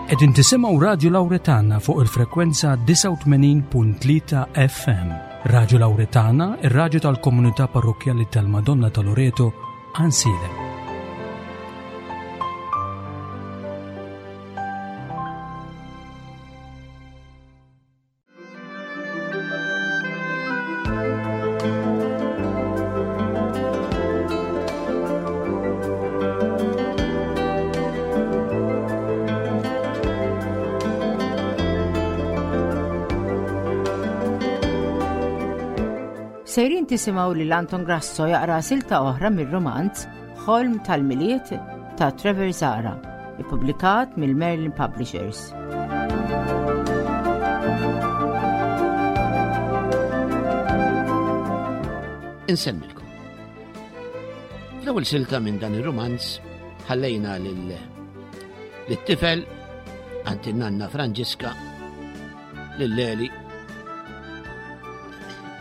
Qegħdin tisimgħu Radju Lawretana fuq il-frekwenza 89.3 FM. Radju Lawretana, ir-radju tal-komunità parrokkjali tal-Madonna ta' Loreto, Ansilem. Sejrin tisimgħu lil Anton Grasso jaqra silta oħra mir-romanz Ħolm tal-Milied ta' Trevor Zara, ippubblikat mill-Merlin Publishers. Insemmilkom. Fl-ewwel silta minn dan ir-romanz ħallejna lil lit-tifel għand in-nanna Franġiska lil Leli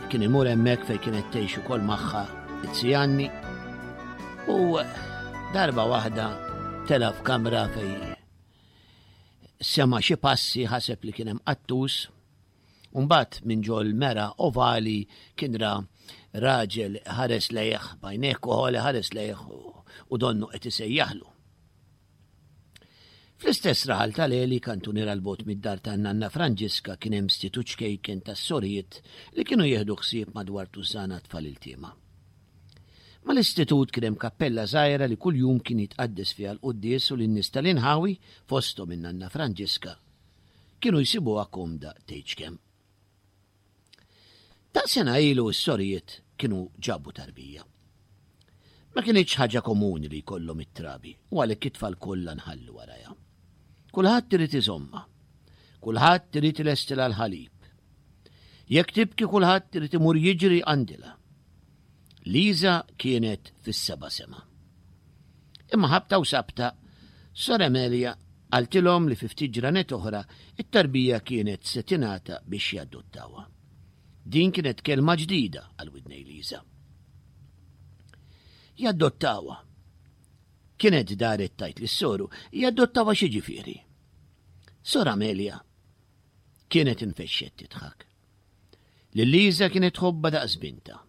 kien imur hemmhekk fejn kienet tgħix ukoll magħha it-Sijanni u darba waħda tela f'kamra fej sema xi passi ħaseb li kien hemm qattus u mbagħad minn ġol mera ovali kien ra raġel ħares lejh bajnejh koħoli ħares lejh u donnu qed isejjaħlu. Fl-istess raħal tal-Għeli, kantuniera 'l bogħod mid-dar tan-nanna Franġiska kien hemm stitut ċkejken tas-sorijiet li kienu jieħdu ħsieb madwar tużżana tfal iltiema. Mal-istitut kien hemm kappella żgħira li kuljum kien jitqaddes fiha l-quddies u li n-nies tal-inħawi, fosthom in-nanna Franġiska, kienu jsibuha komda tgħidx kemm. Ta' sena ilu s-sorijiet kienu ġabu tarbija. Ma kinitx ħaġa komuni li jkollhom it-trabi u għalhekk it-tfal kollha nħallu warajha. Kulħadd irid iżommha. Kulħadd irid ilestilha l-ħalib. Jekk tibki kulħadd irid imur jiġri għandilha. Liza kienet fis-seba' sema. Imma ħabta u sabta, Sor Emelia qaltilhom li fi ftit ġranet oħra it-tarbija kienet se tingħata biex jadottawha. Din kienet kelma ġdida għal widnej Liza. Jadottawha. Kienet daret tajt lis-soru, jadottawha xi ġifieri. Sor Amelia kienet infexxet tidħak. Lil Liza kienet tħobbha daqs bintha.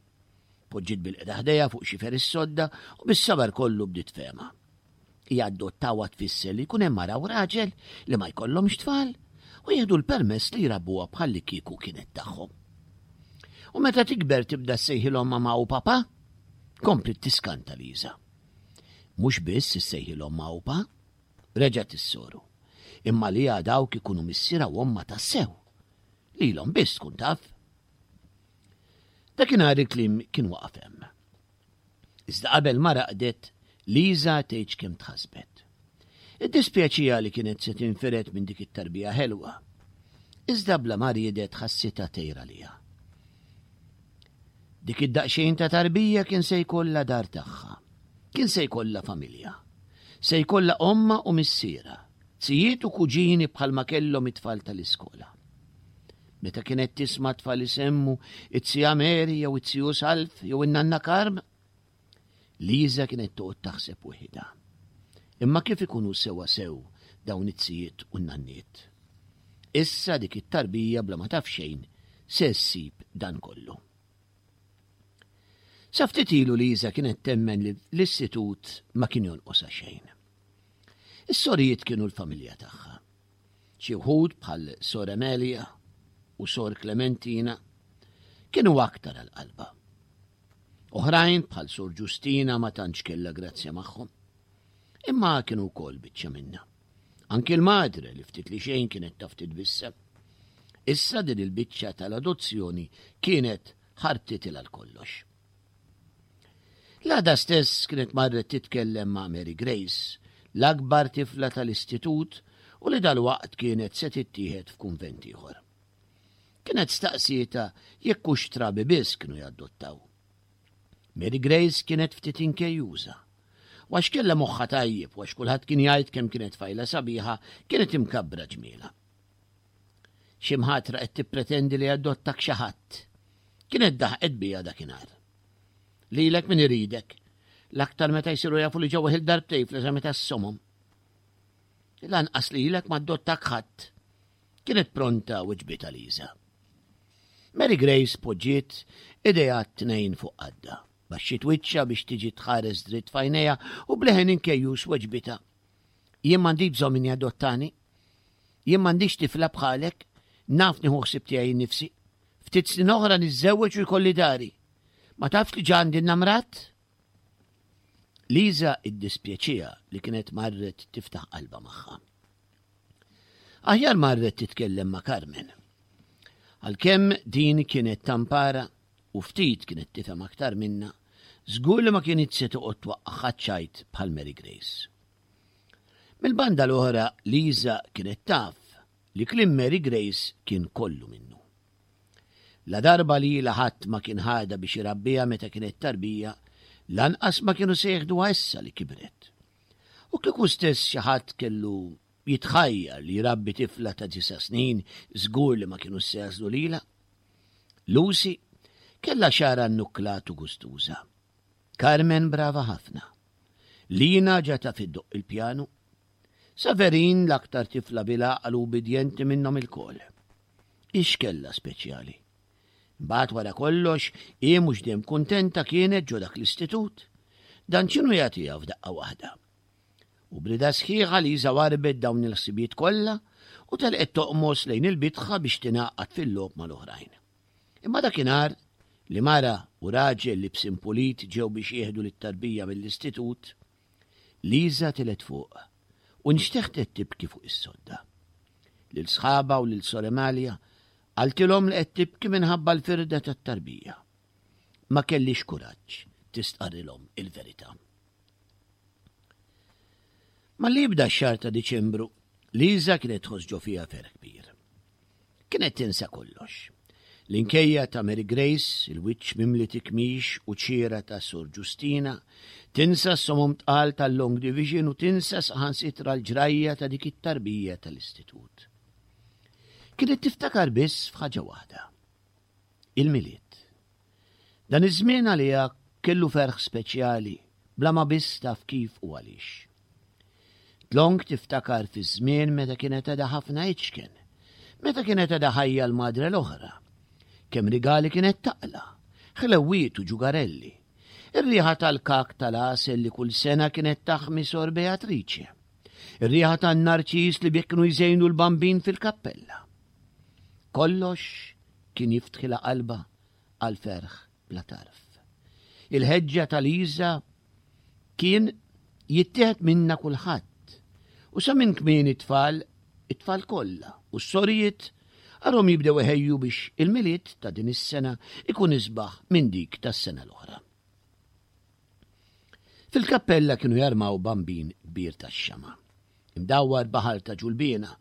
Poġġiet bil-qeda ħdejha fuq xifer is-sodda u bis-sabar kollu bdiet tfehmha. Jadottawha tfisser li jkun hemm mara u raġel li ma jkollhomx tfal u jieħdu l-permess li jrabbuha bħallikieku kienet tagħhom. U meta tikber tibda ssejħilhom mama u papa? Kompliet tiskanta Liza. Mhux biss issejħilhom ma u pa, reġgħet is-soru, imma li dawk ikunu missierha u ommha tassew. Lilhom biss tkun taf. Dakinhar il-kliem kien waqaf hemm. Iżda qabel ma raqdet, Liza tgħidx kemm tħassbet. Iddispjaċiha li kienet se tinfired minn dik it-tarbija ħelwa. Iżda bla ma riedet ħassitha tgħir għaliha. Dik id-daqsxejn ta' tarbija kien se jkollha dar tagħha. Kien se jkollha familja. Se jkollha ommha u missierha, zijiet u kuġini bħalma kellhom it-tfal tal-iskola. Meta kienet tisma' tfal isemmu it-zija Mary jew it-ziju Salv jew in-nanna Karm, Liza kienet toqgħod taħseb weħidha. Imma kif ikunu sewa sew dawn it-zijiet u n-nanniet? Issa dik it-tarbija bla ma taf xejn se ssib dan kollu. Sa ftit ilu Liza kienet temmen li l-istitut ma kien jonqosha xejn. Is-sorijiet kienu l-familja tagħha. Xi wħud bħal Sor Emelia u Sor Clementina kienu aktar għal qalbha. Oħrajn bħal Sor Ġustina ma tantx kellha grazzja magħhom. Imma kienu wkoll biċċa minnha. Anki l-madre li ftit li xejn kienet taf titbissem. Issa din il-biċċa tal-adozzjoni kienet ħarbtitilha l-kollox. L-għada stess kienet marret titkellem ma' Mary Grace, l-akbar tifla tal-istitut u li dalwaqt kienet se tittieħed f'kunvent ieħor. Kienet staqsietha jekk hux trabi biss kienu jadottaw. Mary Grace kienet ftit inkejjuża. U għax kellha moħħha tajjeb u għax kulħadd kien jgħid kemm kienet tfajla sabiħa, kienet imkabbra ġmielha. Xi mħatra qed tippretendi li jadottak xi ħadd. Kienet daħqet bija dakinhar. Lilek min iridek. L-aktar meta jsiru jafu li ġew weħil darbtejn fl-eżami tas-somom. Lanqas lilek ma addottak ħadd. Kienet pronta weġbitha Liża. Mary Grace poġġiet idejha t-tnejn fuq qaddha. Baxxiet wiċċha biex tiġi tħares dritt f'għajnejha u b'leħen inkejjus weġbitha. Jien m'għandix bżonn min jadottani. Jien m'għandix tifla bħalek, naf nieħu ħsieb tiegħi nnifsi. Ftit snin oħra niżżewweġ u jkolli dari. Ma tafx li ġa għandi namrat? Liża iddispjaċiha li kienet marret tiftaħ qalbha magħha. Aħjar marret titkellem ma' Carmen. Għalkemm din kienet tampara u ftit kienet tifhem aktar minnha, żgur li ma kinitx se toqgħod twaqqagħha ċ-ċajt bħal Mary Grace. Mill-banda l-oħra Liża kienet taf li kliem Mary Grace kien kollu minnu. Ladarba lilha ħadd ma kien ħadha biex irabbiha meta kienet tarbija, lanqas ma kienu se jeħduha issa li kibret. U kieku stess xi ħadd kellu jitħajjar li jrabbi tifla ta' disa' snin, żgur li ma kinux se jagħżlu lilha. Lucy kellha xagħarha nnukklat u gustuża. Carmen brava ħafna. Lina ġa taf iddoqq il-pjanu. Saverin l-aktar tifla bil-għaqal u ubbidjenti minnhom ilkoll. Hi x'kellha speċjali? Imbagħad wara kollox, hi mhux dejjem kuntenta kienet ġo dak l-istitut. Dan x'inhu jagħtiha f'daqqa waħda? U b'rida sħiħa Liża warrbet dawn il-ħsibijiet kollha u telqet toqmos lejn il-bitħa biex tingħaqad fil-logħob mal-oħrajn. Imma dakinhar li mara u raġel libsin pulit ġew biex jieħdu lit-tarbija mill-istitut, Liża telgħet fuq u nxteħtet tibki fuq is-sodda. Lil sħabha u lil Sor Emalia qaltilhom li qed tibki minħabba l-firda tat-tarbija. Ma kellhiex kuraġġ tistqarrilhom il-verità. Malli jibda x-xahar ta' Diċembru, Liża kienet tħoss ġo fiha ferħ kbir. Kienet tinsa kollox. L-inkejja ta' Mary Grace, il-wiċċ mimli tikmix u ċiera ta' Sor Ġustina, tinsa s-somom tqal tal-Long Division u tinsa saħansitra l-ġrajja ta' dik it-tarbija tal-istitut. Kienet tiftakar biss f'ħaġa waħda. Il-Milied. Dan iż-żmien għaliha kellu ferħ speċjali bla ma biss taf kif u għaliex. Dlonk tiftakar fiż-żmien meta kienet għadha ħafna iċken, meta kienet għadha ħajja l-madre l-oħra. Kemm rigali kienet taqla', ħlewwiet u ġugarelli. Ir-riħa tal-kak tal-għasel li kull sena kienet taħmi Sor Beatrice. Ir-riħa tan-narċis li bih kienu jżejnu l-bambin fil-kappella. Kollox kien jiftħilha qalbha għal ferħ bla tarf. Il-ħeġġa ta' Liża kien jittieħed minna kulħadd u sa minn kmieni t-tfal, it-tfal kollha u s-sorijiet arhom jibdew iħejju biex il-Milied ta' din is-sena ikun isbaħ minn dik tas-sena l-oħra. Fil-kappella kienu jarmaw bambin kbir tax-xama', imdawwar baħar ta' ġulbiena,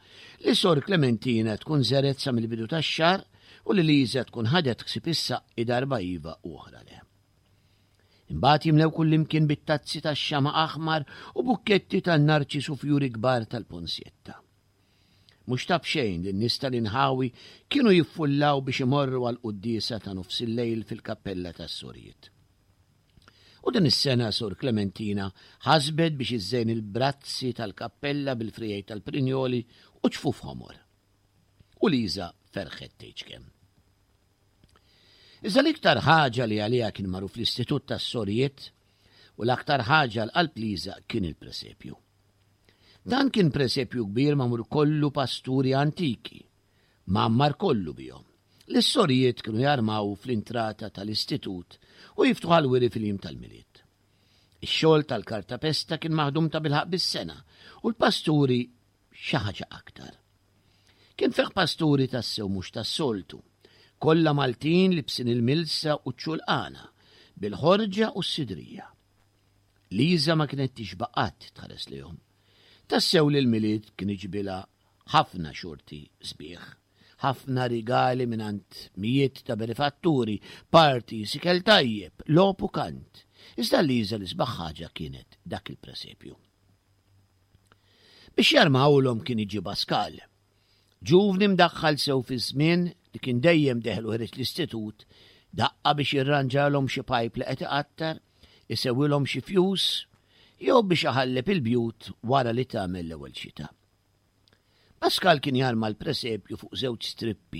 li Sor Klementina tkun żergħet sa mill-bidu tax-xahar u li Liża tkun ħadet ħsieb issaqqi darba iva u oħra le. Imbagħad jimlew kullimkien bit-tazzi tax-xama' aħmar u bukketti tan-narċis u fjuri kbar tal-ponsjetta. Mhux ta' b'xejn li n-nies tal-inħawi kienu jiffullaw biex imorru għall-quddiesa ta' nofsillejl fil-kappella tas-Sorijiet. U din is-sena Sor Klementina ħasbet biex iżżejn il-brazzi tal-kappella bil-friegħi tal-prinjoli u ċfuf ħomor. U Liża ferħet tgħidx kemm. Iżda l-iktar ħaġa li għaliha kien magħruf l-Istitut tas-Sorijiet u l-aktar ħaġa għal qalb Liża kien il-presepju. Dan kien presepju kbir magħmul kollu pasturi antiki, mgħammar kollu bihom, li s-sorijiet kienu jarmaw fl-intrata tal-istitut u jiftħu għall-wiri fil-jiem tal-Milied. Ix-xogħol tal-kartapesta kien maħdum tabilħaqq bis-sengħa u l-pasturi xi ħaġa aktar. Kien fih pasturi tassew mhux tas-soltu, kollha Maltin libsin il-milsa u ċ-ċulqana, bil-ħorġa u s-sidrija. Liża ma kienet tixba' qatt tħares lejhom. Tassew li l-Milied kien iġibilha ħafna xorti sbieħ, ħafna rigali mingħand mijiet ta' benefatturi, parties, ikel tajjeb, logħob u kant. Iżda Liża l-isbaħ ħaġa kienet dak il-presepju. Biex jarmawlhom kien iġi Baskal. Ġuvni mdaħħal sew fiż-żmien li kien dejjem deħel u ħereġ l-istitut, daqqa biex jirranġalhom xi pajp li qed iqattar, isewwilhom xi fjus, jew biex iħalleb il-bjut wara li tagħmel l-ewwel xita. Pascal kien jarma l-presepju fuq żewġ strippi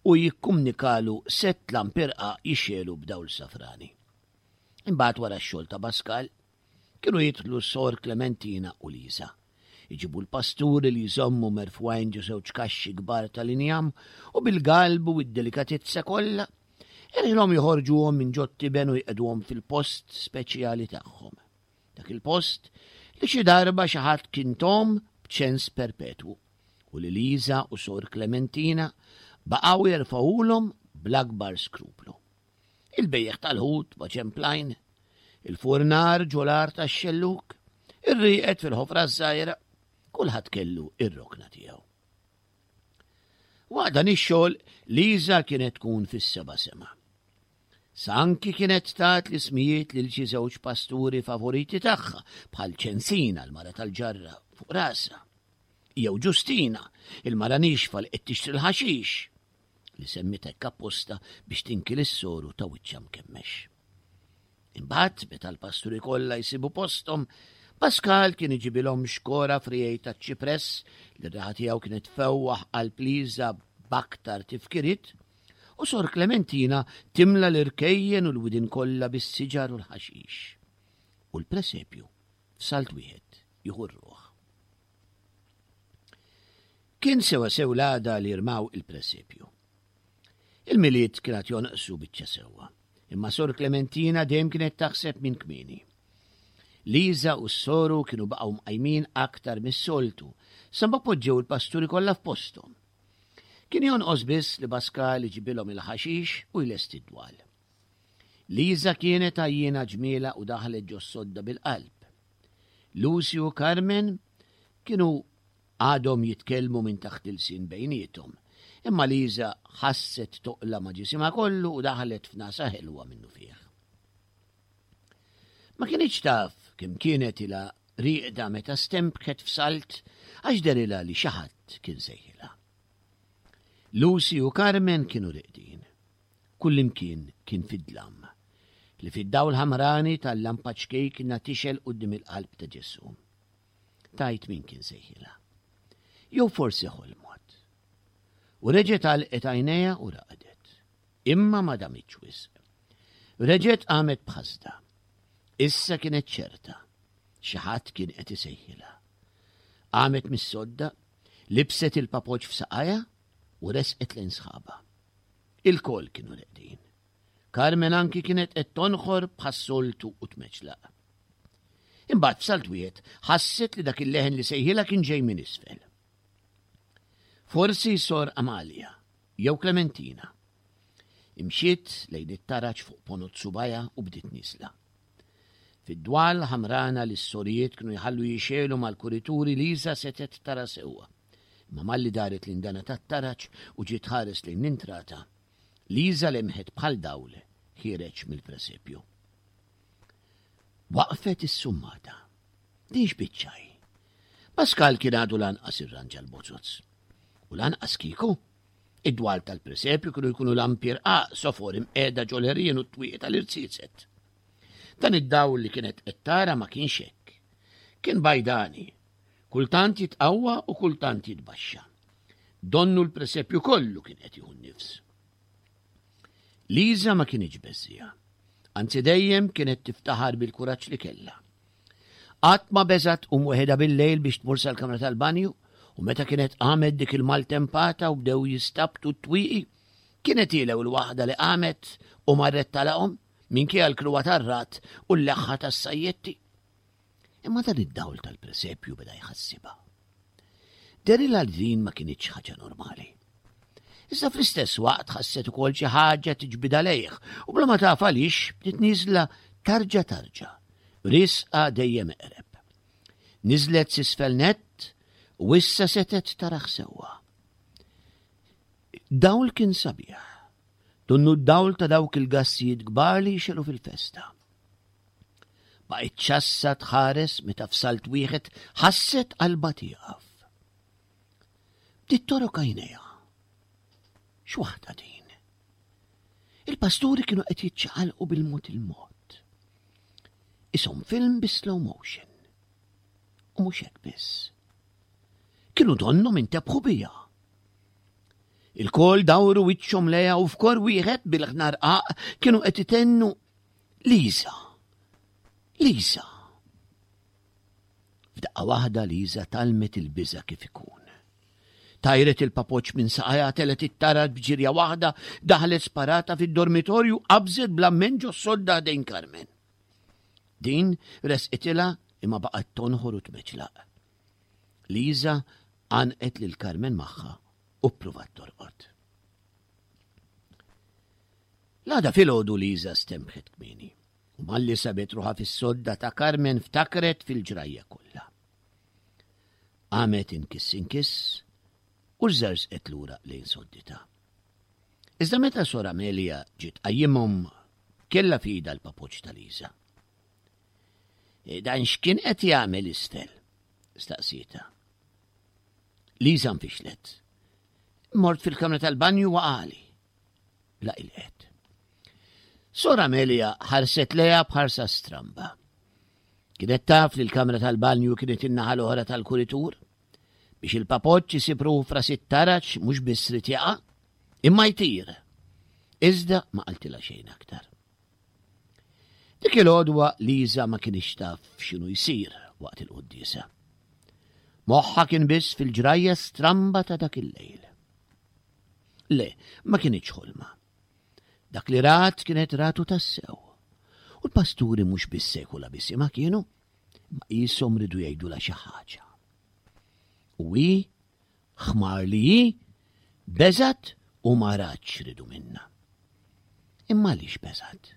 u jikkumnikalu sett lampi rqaq jixegħlu b'dawl safrani. Imbagħad wara x-xogħol ta' Pascal, kienu jidħlu Sor Clementina u Lisa. Iġibu l-pasturi li jżommu merfugħin ġo żewġ kaxxi kbar tal-injam u bil-galbu u d-delikatezza kollha, irħilhom joħorġuhom minn ġot-tiben u jqegħduhom fil-post speċjali tagħhom. Dak il-post li xi darba xi ħadd kien tom b'ċens perpetwu u li Liza u Sor Clementina baqgħu jerfgħuhulhom bl-akbar skruplu. Il-bejjeħ tal-ħut ma' ċemplajn, il-furnar ġol-għar tax-xellug, ir-rieqed fil-ħofra ż-żgħira, kulħadd kellu ir-rokna tiegħu. Waqt dan ix-xogħol Liza kienet tkun fis-seba' sema. Sa anki kienet tat l-ismijiet lil xi żewġ pasturi favoriti tagħha bħal Ċensina l-mara tal-ġarra fuq rasha, jew Ġustina, il-mara nixfa li qed tixtri l-ħaxix, li semmiet hekk apposta biex tinki lis-soru ta' wiċċha mkemmex. Imbagħad, meta l-pasturi kollha jsibu posthom, Pascal kien iġibilhom xkora frijej ta' ċipress li r-raħa tiegħu kienet fewwaħ qalb Liża b'aktar tifkiriet, u Sor Clementina timla l-irkejjen u l-widien kollha bis-siġar u l-ħaxix. U l-presepju f'salt wieħed jieħu r-ruħ. Kien sewa sew l-għada li rmaw il-presepju. Il-Milied kien għad jonqsu biċċa sewwa, imma Sor Clementina dejjem kienet taħseb minn kmieni. Liza u s-soru kienu baqgħu mqajmin aktar mis-soltu, sa ma poġġew il-pasturi kollha f'posthom. Kien jonqos biss li Pascal iġibilhom il-ħaxix u jlesti d-dwal. Liza kienet għajjiena ġmielha u daħlet ġos-sodda bil-qalb. Lucy u Carmen kienu għadhom jitkellmu minn taħt ilsien bejniethom, imma Liza ħasset toqla ma' ġisimha kollu u daħlet f'nasa ħelwa minnufih. Ma kinitx taf kemm kienet ilha rieqda meta stembket f'salt għax dehrilha li xi ħadd kien sejħilha. Lucy u Carmen kienu reqdin. Kullimkien kien fid-dlam, li fid-dawl ħamrani tal-lampa ċkejkna tixgħel quddiem il-qalb ta' Ġesù. Tgħid min kien sejħilha. Jew forsi ħolmot. U reġgħet għalqet għajnejha u raqdet. Imma ma damitx wisq. Reġgħet qamet b'ħasda. Issa kienet ċerta. Xi ħadd kien qed isejħilha. Qamet mis-sodda, libset il-papoċ f'saqajha u resqet lejn sħabha. Ilkoll kienu reqdin. Carmen anki kienet qed tonħor bħas-soltu u tmeċlaq. Imbagħad f'salt wieħed ħasset li dak il-leħen li sejħilha kien ġej minn isfel. Forsi sor Amalia jew Clementina. Imxiet lejn it-taraġ fuq ponot subajha u bdiet nieżla. Fid-dwal ħamrana li s-sorijiet kienu jħallu jixegħlu mal-kurituri Liza setgħet tara sewwa. Imma malli daret l-indana tat-taraġ u ġiet tħares lejn l-intrata, Liza lemħet bħal dawl ħiereġ mill-presepju. Waqfet issummata. Din x'biċċa hi? Pascal kien għadu lanqas irranġa l-bozoz. U lanqas kieku. Id-dwal tal-presepju kienu jkunu lampi rqaq sofor imqiegħda ġol-għerien u t-twieqi tal-irziezet. Dan id-dawl li kienet qed tara ma kienx hekk. Kien bajdani, kultant jitqawwa u kultant jitbaxxa. Donnu l-presepju kollu kien qed jieħu n-nifs. Liza ma kinitx beżżiegħa. Anzi dejjem kienet tiftaħar bil-kuraġġ li kellha. Qatt ma beżgħet tqum weħidha bil-lejl biex tmur sal-kamra tal-banju u meta kienet qamet dik il-maltempata u bdew jistabtu t-twieqi, kienet hi l-ewwel waħda li qamet u marret tagħlaqhom minkejja l-kruha tar-ragħad u l-leħħa tas-sajjetti. Imma dan id-dawl tal-presepju beda jħassibha. Derilha li din ma kinitx ħaġa normali. Iżda fl-istess waqt ħasset ukoll xi ħaġa tiġbidha lejh u bla ma taf għaliex bdiet nieżla tarġa tarġa, risqa dejjem eqreb. Niżlet s'isfel nett u issa setgħet taraħ sewwa. Dawl kien sabiħ, donnu d-dawl ta' dawk il-gassijiet kbar li jixelu fil-festa. Baqgħet ċassa tħares meta f'salt wieħed ħasset qalbha tieqaf. Bdiet torok għajnejha. X'waħda din? Il-pasturi kienu qed jiċċaqalqu bil-mod il-mod. Ishom film bi slow motion. U mhux hekk biss. Kienu donnhom intebħu biha. Ilkoll dawru wiċċhom lejha u f'kor wieħed bil-ħna rqaq kienu qed itennu Liża! Liża! F'daqqa waħda Liża tgħallmet il-biża' kif ikun. Tajret il-papoċ minn saqajha, telgħet it-taraġ b'ġirja waħda, daħlet sparata fid-dormitorju, qabżet bl-amment ġos-sodda ħdejn Carmen. Din resqitilha imma baqgħet tonħor u tmeċlaq. Liża għannqet lil Carmen magħha u ppruvat torqod. L-għada filgħodu Liża stembħet kmieni u malli sabet ruħha fis-sodda ta' Carmen ftakret fil-ġrajja kollha. Qamet inkiss inkiss u żerżqet lura lejn sodditha. Iżda meta Sor Amelia ġiet tqajjimhom kellha f'idha l-papoċ ta' Liża. E, dan x'kien qed jagħmel isfel? staqsietha. Liża nfixlet. Mort fil-kamra tal-banju waqali. La ilqet. Sor Amelia ħarset lejha b'ħarsa stramba. Kienet taf li l-kamra tal-banju kienet in-naħa l-oħra tal-kuritur. Biex il-papoċċ isib ruħu f'ras it-taraġ mhux biss rid jaqa', imma jtir. Iżda ma qaltilha xejn aktar. Dik il-għodwa Liża ma kinitx taf x'inhu jsir waqt il-quddiesa. Moħħha kien biss fil-ġrajja stramba ta' dak il-lejl. Le, ma kinitx ħolma. Dak li rat kienet ratu tassew. U l-pasturi mhux biss sekula biss ma kienu, ma qishom ridu jgħidulha xi ħaġa. U hi, ħmar li hi, beżgħet u ma ratx ridu minnha. Imma għaliex beżgħet?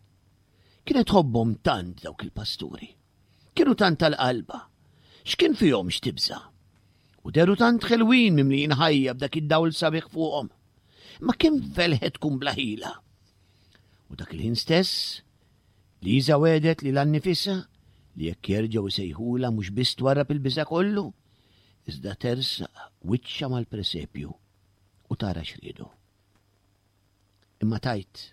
Kienet tħobbhom tant dawk il-pasturi. Kienu tant tal-qalba. X'kien fihom x'tibża'? U deru tant ħelwin mimlijin ħajja b'dak id-dawl sabiħ fuqhom. Ma kemm felħet tkun bla ħila. U dak il-ħin stess, Liza wedet li l-annifisa li jekk jerġgħu jsejħula mhux biss twarrab il-biża' kollu, iżda tersaq wiċċha mal-presepju u tara x'riedu. Imma tajt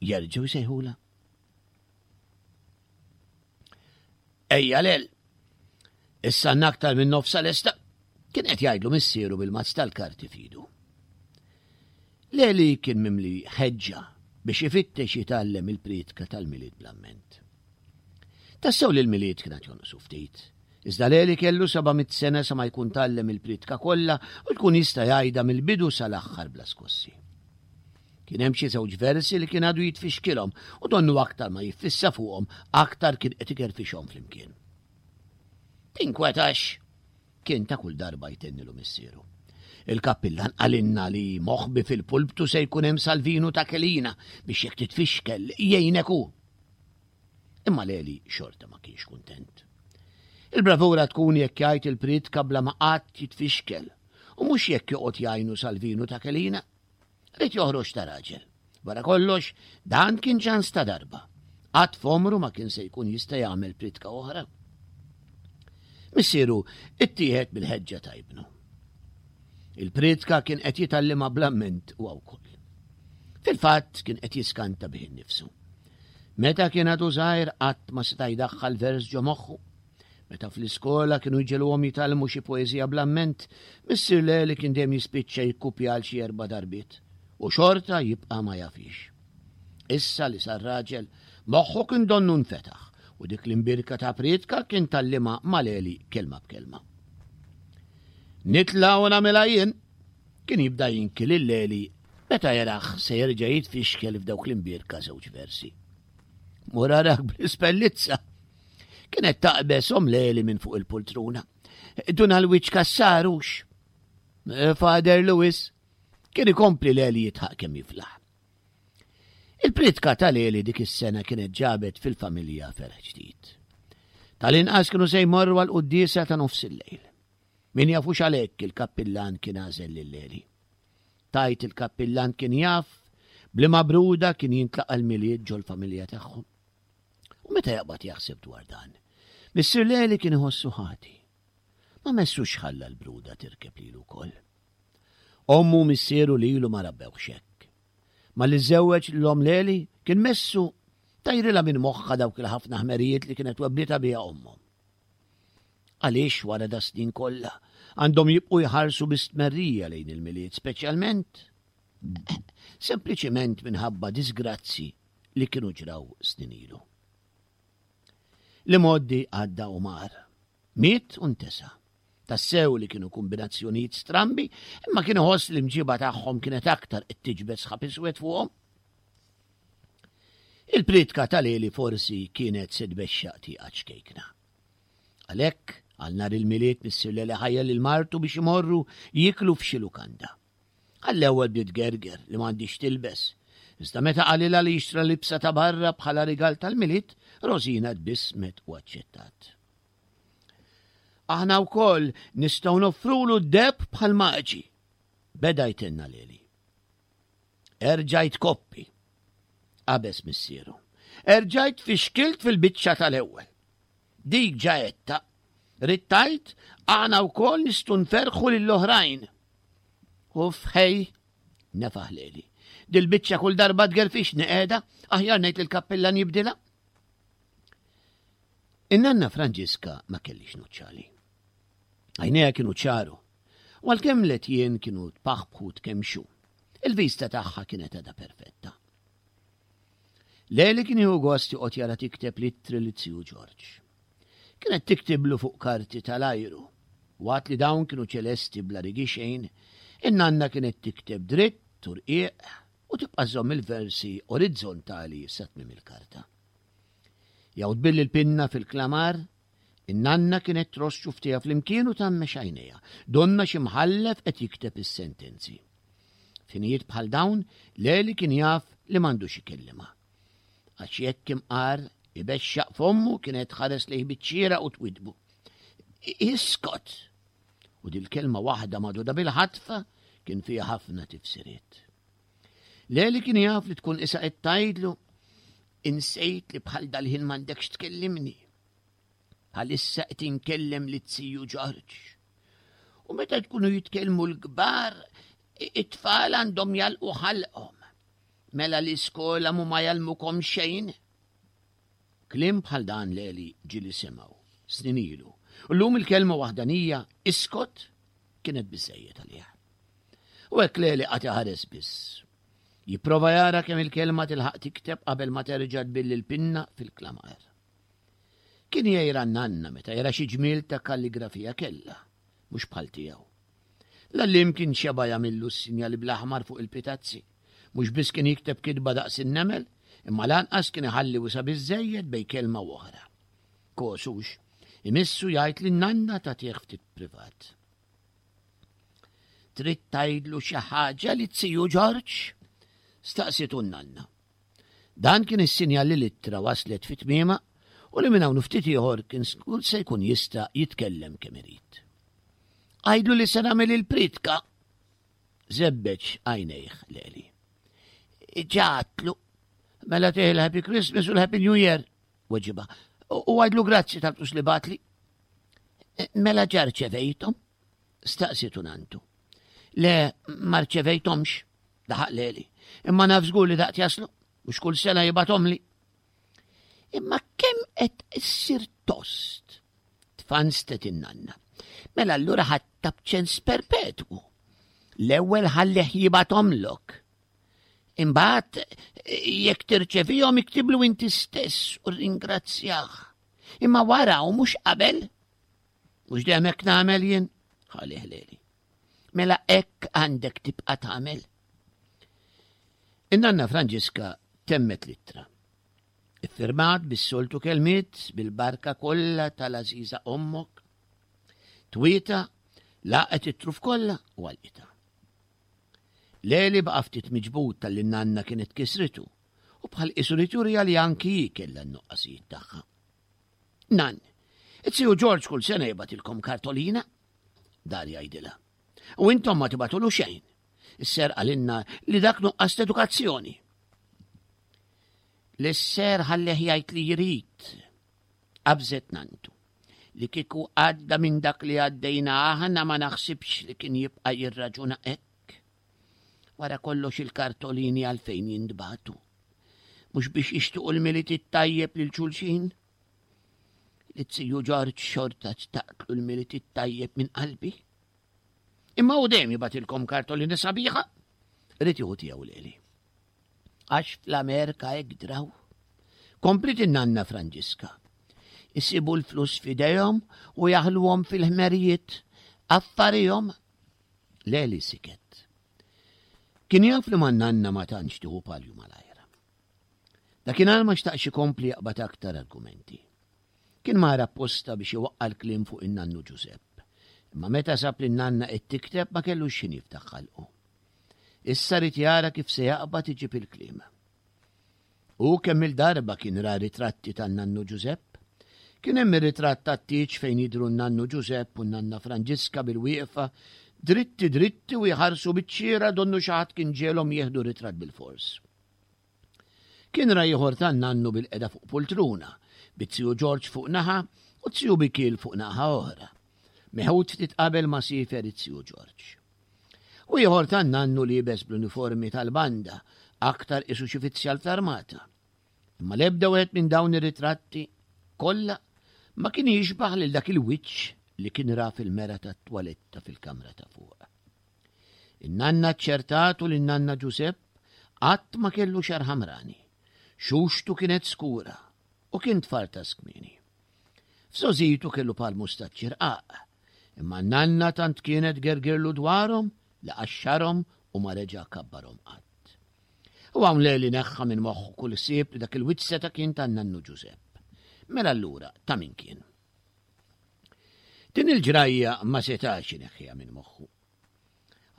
jerġgħu jsejħula. Ejja lel! Issa għandna aktar minn nofsa lesta, kien qed jgħidlu missieru bil-mazz tal-karti fidu. Leli kien mimli ħeġġa biex ifittex jitgħallem il-priedka tal-Milied bl-amment. Tassew li l-Milied kien għad jonqsu ftit, iżda Leli kellu 700 sena sa ma jkun tgħallem il-priedka kollha u jkun jista' jgħidha mill-bidu sal-aħħar bla skossi. Kien hemm xi żewġ versi li kien għadu jitfixkilhom u donnu aktar ma jiffissa fuqhom aktar kien qed ikerfixhom flimkien. Tinkwetax, kien ta' kull darba jtennilu missieru. Il-kappillan qalilna li moħbi fil-pulptu se jkun hemm Salvinu ta' Kelina biex jekk titfixkel jgħinek hu. Imma Leli xorta ma kienx kuntent. Il-bravura tkun jekk jgħid il-priedka bla ma qatt jitfixkel u mhux jekk joqgħod jgħinu Salvinu ta' Kelina. Ried joħroġ ta' raġel. Wara kollox, dan kien ċans ta' darba. Qatt f'għomru ma kien se jkun jista' jagħmel pritka oħra. Missieru ittieħed mill-ħeġġa ta' ibnu. Il-pritka kien qed jitgħallimha bl-amment huwa wkoll. Fil-fatt kien qed jiskanta bih innifsu. Meta kien għadu żgħir qatt ma seta' jdaħħal vers ġo moħħu. Meta fl-iskola kienu jġegħluhom jitgħallmu xi poeżija bl-amment, missier Leli kien dejjem jispiċċa jikkupja għal xi erba' darbiet, u xorta jibqa' ma jafhiex. Issa li sar raġel, moħħu kien donnu nfetaħ, u dik l-imbierka ta' prietka kien tgħallimha ma' Leli kelma b'kelma. Nitla' u nagħmilha jien! Kien jibda jinki lil Leli meta jarah se jerġa' jitfixkel f'dawk l-imbierka żewġ versi. Mur arak bl-ispellizza! Kienet taqbeż om Leli minn fuq il-pultruna. Dun għal-wiċ kassarux. Eh, Father Lewis kien ikompli Leli jitħaq kemm jiflaħ. Il-pritka ta' Leli dik is-sena kienet ġabet fil-familja ferħ ġdid. Tal-inqas kienu se jmorru għal quddiesa ta' nofs il-lejl. Min jafux għalhekk il-kappillan kien għażel lil Leli. Tajt il-kappillan kien jaf b'liema bruda kien jintlaqa' l-Milied ġol-familja tagħhom. U meta jaqbad jaħseb dwar dan, Missier Leli kien iħossu ħati. Ma messux ħalla l-bruda tirkeb lilu wkoll. Ommu u missieru lilu ma rabbewhx hekk. Malli żżewweġ lil omm Leli, kien messu tajrilha minn moħħha dawk il-ħafna ħmerijiet li kienet webbditha biha ommhom. Għaliex wara da snin kollha għandhom jibqu jħarsu bi stmerrija lejn il-Milied speċjalment sempliċement minħabba disgrazzi li kienu ġraw snin ilu. L-imgħoddi għadda u mar. Miet u ntesa. Tassew li kienu kombinazzjonijiet strambi, imma kien iħoss li mġiba tagħhom kienet aktar qed tiġbed sħab iswed fuqhom. Il-pritka tal-Eli forsi kienet se tbexxaq tieqa ċkejkna. Għalhekk, għal nhar il-Milied missier Lele ħajjar lil martu biex imorru jieklu f'xi lukanda. Għall-ewwel bdiet tgerger li m'għandhiex tilbes. Iżda meta qalilha li jixtra libsa ta' barra bħala rigal tal-Milied, Rosina tbissmet u aċċettat. Aħna wkoll nistgħu noffrulu d-deheb bħal maġi, beda jtenna Leli. Erġajt koppi, qabeż missieru. Erġajt fixkilt fil-biċċa tal-ewwel. Dik ġa għedtha. Ridt tgħid, aħna wkoll nistgħu nferrħu lill-oħrajn. Uff, ħej, nefaħ Leli. Dil-biċċa kull darba tgerfixni qiegħda, aħjar ngħid lill-kappillan jibdilha. In-nanna Franġiska ma kellix nuċċali. Għajnejha kienu ċaru, u għalkemm l-etjien kienu tpaħbħu tkemmxu, il-vista tagħha kienet għadha perfetta. Leli kien jieħu gost joqgħod jara tikteb l-ittri li ziju Ġorġ. Kienet tiktiblu fuq karti tal-ajru. Waqt li dawn kienu ċelesti bla rigi xejn, in-nanna kienet tikteb dritt u rqiq u tibqa' żżomm il-versi orizzontali sa tmiem il-karta. Jew tbill il-pinna fil-klamar, in-nanna kienet tross xuftiha flimkien u tgħammex għajnejha, donnha xi mħallef qed jikteb is-sentenzi. F'ħinijiet bħal dawn, Leli kien jaf li m'għandux ikellimha. Għax jekk imqar ibexxaq fommu kienet tħares lejh biċ-ċiera u twidbu. Iskot! U dil-kelma waħda magħduda bil-ħatfa kien fiha ħafna tifsiriet. Leli kien jaf li tkun isa qed tgħidlu insejt li bħal dal-ħin m'għandekx tkellimni. Bħalissa qed inkellem li ziju Ġorġ. U meta tkunu jitkellmu l-kbar, it-tfal għandhom jalqu ħalqhom. Mela l-iskola mu ma jgħallmukom xejn. Kliem bħal dan Leli ġieli semgħu snin ilu. U llum il-kelma waħdanija iskot kienet biżejjed għalih. U hekk Leli qagħad iħares biss. Jipprova jara kemm il-kelma tilħaq tikteb qabel ma terġa' tbill il-pinna fil-klamar. Kien jgħira n-nanna meta jara xi ġmiel ta' kalligrafija kellha, mhux bħal tiegħu. L-għalliem kien xeba' jagħmillu s-sinjali bl-aħmar fuq il-pitazzi. Mhux biss kien jikteb kitba daqs in-nemel, imma lanqas kien iħalli wisa' biżżejjed bejn kelma u oħra. Kos hux, imissu jgħid lin-nanna tagħtih ftit privat. Trid tgħidlu xi ħaġa li ziju Ġorġ? Staqsietu n-nanna. Dan kien is-sinjal li l-ittra waslet fi tmiemha u li minn hawn u ftit ieħor kien se jkun jista' jitkellem kemm irid. Għidlu li se nagħmel il-pritka! Żebbeġ għajnejh Leli. Ġatlu. Mela tih il-Happy Christmas u l-Happy New Year, weġiba. U għidlu grazzi tal-flus li batli. Mela ġa rċevejthom? Staqsitu nantu. Le, ma rċevejthomx, daħaq Leli. Imma naf żgur li daqt jaslu, mhux kull sena jibgħathomli. Imma kemm qed issir tost? Tfanstet in-nanna. Mela allura ħadd b'ċens perpetwu. L-ewwel ħallih jibgħathomlok. Imbagħad jekk tirċevihom iktiblu inti stess u ringrazzjah. Imma wara u mhux qabel. Mhux dejjem hekk nagħmel jien, ħalih leli. Mela hekk għandek tibqa' tagħmel. In-nanna Franġiska temmet l-ittra. Iffirmat bis-soltu kelmiet bil-barka kollha tal-għażiża ommok. Twieta laqet it-truf kollha u għalqitha. Leli baqa' ftit miġbud talli n-nanna kienet kisritu u bħal qisu li turija li anki hi kellha n-nuqqasijiet tagħha. Nan, it-siju Ġorġ kull sena jibgħatilkom kartolina? Dar jgħidilha. U intom ma tibatulu xejn. Is-ser qalilna li dak nuqqas edukazzjoni. L-ser ħallih jgħid li jrid. Qabżet nantu. Li kieku għadda minn dak li għaddejna aħna ma naħsibx li kien jibqa' jirraġuna hekk. Wara kollox il-kartolini għalfejn jintbagħtu. Mhux biex jixtiequ l-Milied it-tajjeb lil xulxin? Liz-ziju Ġorġ xorta xtaqtlu l-Milied it-tajjeb minn qalbi. Imma hu dejjem jibgħatilkom kartolini sabiħa. Ried jieħu tiegħu lili. Għax fl-Amerika hekk draw. Kompliet in-nanna Franġiska. Isibu l-flus f'idejhom u jaħluhom fil-ħmerijiet. Affarihom. Leli siket. Kien jaf li man-nanna ma tantx tieħu palju malajr. Dakinhar ma xtaqx ikompli jaqbad aktar argumenti. Kien mar apposta biex iwaqqa' l-kliem fuq in-nannu Ġużepp. Imma meta sab lin-nanna qed tikteb ma kellux x'ħin jiftaħ ħalqu. Issa ried jara kif se jaqbad iġib il-kliem. Hu kemm-il darba kien ra ritratti tan-nannu Ġużepp. Kien hemm ir-ritratt tat-tieġ fejn jidhru n-nannu Ġużepp u n-nanna Franġiska bil-wieqfa, dritti dritti u jħarsu biċ-ċiera donnu xi ħadd kien ġegħelhom jieħdu ritratt bilfors. Kien ra ieħor tan-nannu bilqiegħda fuq pultruna, biz-ziju Ġorġ fuq naħa u z-ziju Mikiel fuq naħa oħra. Meħud ftit qabel ma siefer iz-ziju Ġorġ. U ieħor tan-nannu liebes bl-uniformi tal-banda, aktar qisu xi fizzjal fl-armata. Imma l-ebda wieħed minn dawn ir-ritratti kollha ma kien jixbaħ lil dak il-wiċċ li kien ra fil-mera tat-twaletta fil-kamra ta' fuq. In-nanna ċċertatu li n-nanna Ġusepp qatt ma kellu xagħar ħamrani. Xuxtu kienet skura u kien tfartas kmieni. F'żgħożitu kellu par mustaċċi rqaq, imma n-nanna tant kienet gergirlu dwarhom li qaxxarhom u ma reġa' kabbarhom qatt. U hawn Leli neħħa minn moħħu kull ħsieb li dak il-wiċċ seta' kien tan-nannu Ġusepp. Mela allura ta' min kien? Din il-ġrajja ma setax ineħħiha minn moħħu.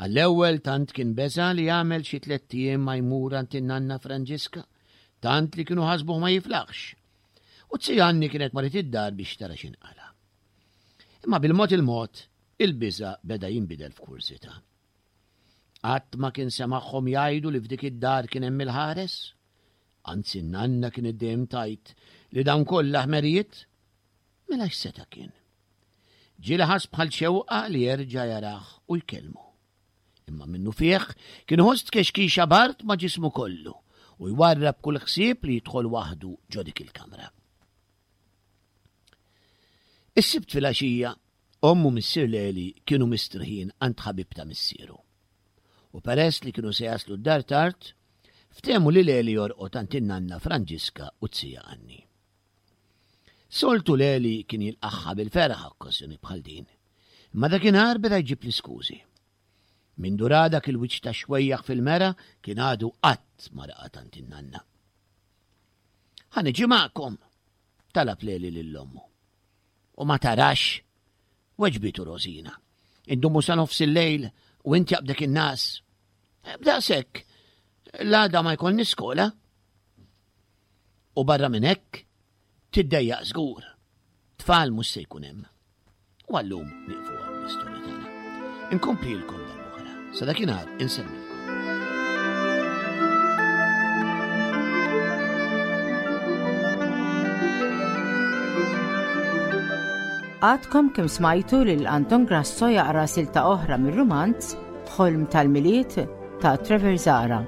Għall-ewwel tant kien beża' li jagħmel xi tlett ijiem ma jmur għand in-nanna Franġiska, tant li kienu ħasbuh ma jiflaħx. U z-zija Anni kienet marret id-dar biex tara x'inqala'. Imma bil-mod il-mod, il-biża' beda jinbidel f'kurżità. Qatt ma kien semagħhom jgħidu li f'dik id-dar kien hemm il-ħares. Anzi n-nanna kienet dejjem tgħid li dawn kollha ħmerijiet. Mela x'seta' kien? Ġieli ħass bħal xewqa li jerġa' jarah u jkellmu. Imma minnufih kien iħoss tkexkixa bard ma' ġismu kollu u jwarrab kull ħsieb li jidħol waħdu ġo dik il-kamra. Is-Sibt filgħaxija, omm u missier Leli kienu mistrieħin għand ħabib ta' missieru. U peress li kienu se jaslu d-dar tard, ftehmu li Leli jorqod għand in-nanna Franġiska u z-zija Anni. Soltu Leli kien jilqagħha bil-ferħ okkażjoni bħal din. Imma dakinhar beda jġib l-iskużi. Mindu ra dak il-wiċċ ta' xwejjaħ fil-mera kien għadu qatt ma raqad għand in-nanna. Ħa niġi magħkom, talab Leli lil ommu. U ma tarax, weġbitu Rosina. Indumu sa nofs il-lejl u inti jaqbdek in-nas. B'daqshekk, l-għada ma jkollni skola. U barra minn hekk, tiddejjaq żgur. Tfal mhux se jkun hemm. U għallum nieqfu hawn l-istorja tagħna. Inkomplilkom darb'oħra. Sa dakinhar insellmilkom. Għadkom kemm smajtu lil Anton Grasso jaqra silta oħra mir-rumanz Ħolm tal-Milied ta' Trevor Zara.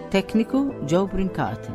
Tekniku Joe Brincat.